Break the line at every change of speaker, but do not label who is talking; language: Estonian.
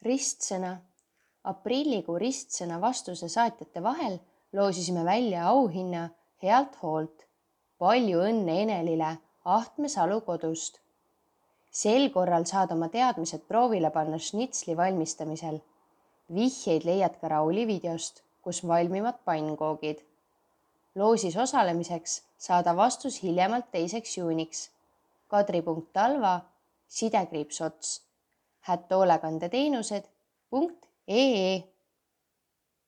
Ristsõna. Aprillikuu ristsõna vastuse saatjate vahel loosisime välja auhinna Healt hoolt. Palju õnne Enelile Ahtme Salu kodust. Sel korral saad oma teadmised proovile panna šnitsli valmistamisel. Vihjeid leiad ka Rauli videost, kus valmivad pannkoogid. Loosis osalemiseks saada vastus hiljemalt 2. juuniks. Kadri.talva, _ots, @hoolekandeteenused.ee